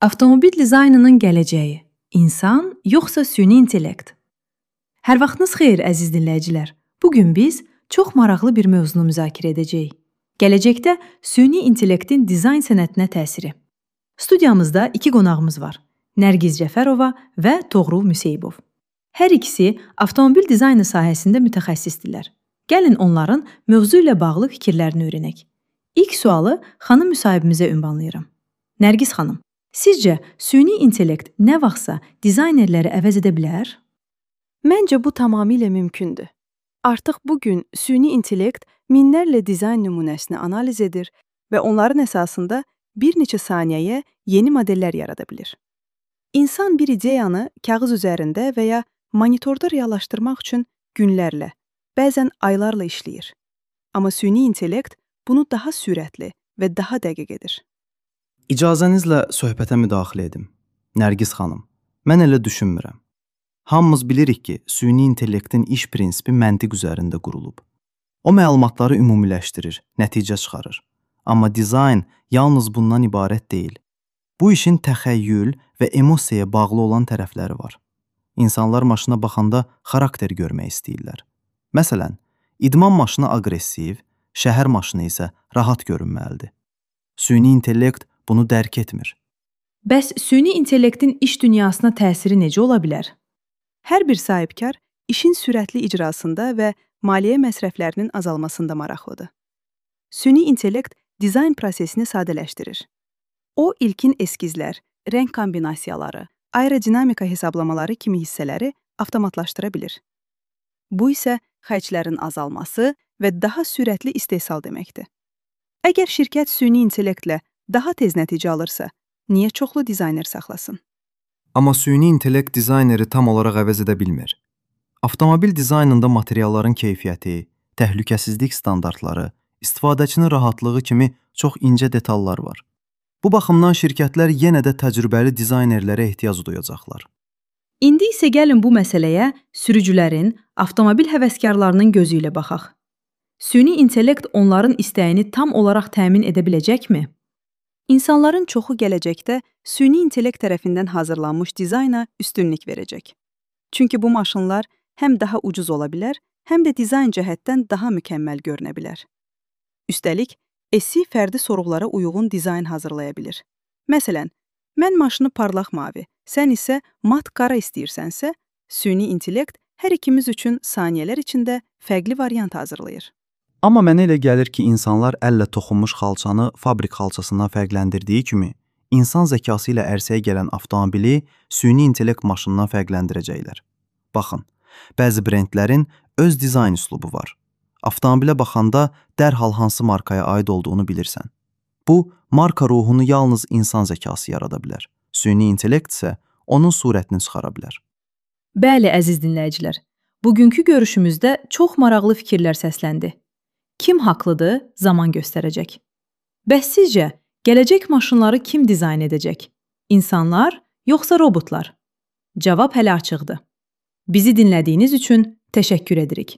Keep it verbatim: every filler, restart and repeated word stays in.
Avtomobil dizaynının gələcəyi, insan yoxsa süni intellekt? Hər vaxtınız xeyir, əziz dinləyicilər. Bugün biz çox maraqlı bir mövzunu müzakirə edəcəyik. Gələcəkdə süni intellektin dizayn sənətinə təsiri. Studiyamızda iki qonağımız var. Nərgiz Cəfərova və Toğrul Müseybov. Hər ikisi avtomobil dizaynı sahəsində mütəxəssisdirlər. Gəlin onların mövzu ilə bağlı fikirlərini öyrənək. İlk sualı xanım müsahibimizə ünvanlayıram. Nərgiz xanım, sizcə süni intellekt nə vaxtsa dizaynerləri əvəz edə bilər? Məncə bu tamamilə mümkündür. Artıq bugün süni intellekt minlərlə dizayn nümunəsini analiz edir və onların əsasında bir neçə saniyəyə yeni modellər yarada bilir. İnsan bir ideyanı kağız üzərində və ya monitorda reallaşdırmaq üçün günlərlə, bəzən aylarla işləyir. Amma süni intellekt bunu daha sürətli və daha dəqiq edir. İcazənizlə söhbətə müdaxilə edim. Nərgiz xanım, mən elə düşünmürəm. Hamımız bilirik ki, süni intellektin iş prinsipi məntiq üzərində qurulub. O məlumatları ümumiləşdirir, nəticə çıxarır. Amma dizayn yalnız bundan ibarət deyil. Bu işin təxəyyül və emosiyaya bağlı olan tərəfləri var. İnsanlar maşına baxanda xarakter görmək istəyirlər. Məsələn, idman maşını aqressiv, şəhər maşını isə rahat görünməlidir. Süni intellekt bunu dərk etmir. Bəs süni intellektin iş dünyasına təsiri necə ola bilər? Hər bir sahibkar işin sürətli icrasında və maliyyə məsrəflərinin azalmasında maraqlıdır. Süni intellekt dizayn prosesini sadələşdirir. O, ilkin eskizlər, rəng kombinasiyaları, aerodinamika hesablamaları kimi hissələri avtomatlaşdıra bilir. Bu isə xərclərin azalması və daha sürətli istehsal deməkdir. Əgər şirkət süni intellektlə daha tez nəticə alırsa, niyə çoxlu dizayner saxlasın? Amma süni intellekt dizayneri tam olaraq əvəz edə bilmir. Avtomobil dizaynında materialların keyfiyyəti, təhlükəsizlik standartları, istifadəçinin rahatlığı kimi çox incə detallar var. Bu baxımdan şirkətlər yenə də təcrübəli dizaynerlərə ehtiyac duyacaqlar. İndi isə gəlin bu məsələyə sürücülərin, avtomobil həvəskarlarının gözü ilə baxaq. Süni intellekt onların istəyini tam olaraq təmin edə biləcəkmi? İnsanların çoxu gələcəkdə süni intellekt tərəfindən hazırlanmış dizayna üstünlük verəcək. Çünki bu maşınlar həm daha ucuz ola bilər, həm də dizayn cəhətdən daha mükəmməl görünə bilər. Üstəlik, S I fərdi sorğulara uyğun dizayn hazırlaya bilir. Məsələn, mən maşını parlaq mavi, sən isə mat qara istəyirsənsə, süni intellekt hər ikimiz üçün saniyələr içində fərqli variant hazırlayır. Amma mənə elə gəlir ki, insanlar əllə toxunmuş xalçanı fabrik xalçasından fərqləndirdiyi kimi, insan zəkası ilə ərsəyə gələn avtomobili süni intellekt maşınından fərqləndirəcəklər. Baxın, bəzi brendlərin öz dizayn üslubu var. Avtomobilə baxanda dərhal hansı markaya aid olduğunu bilirsən. Bu, marka ruhunu yalnız insan zəkası yarada bilər. Süni intellekt isə onun surətini çıxara bilər. Bəli, əziz dinləyicilər, bugünkü görüşümüzdə çox maraqlı fikirlər səsləndi. Kim haqlıdır, zaman göstərəcək. Bəs sizcə, gələcək maşınları kim dizayn edəcək? İnsanlar, yoxsa robotlar? Cavab hələ açıqdır. Bizi dinlədiyiniz üçün təşəkkür edirik.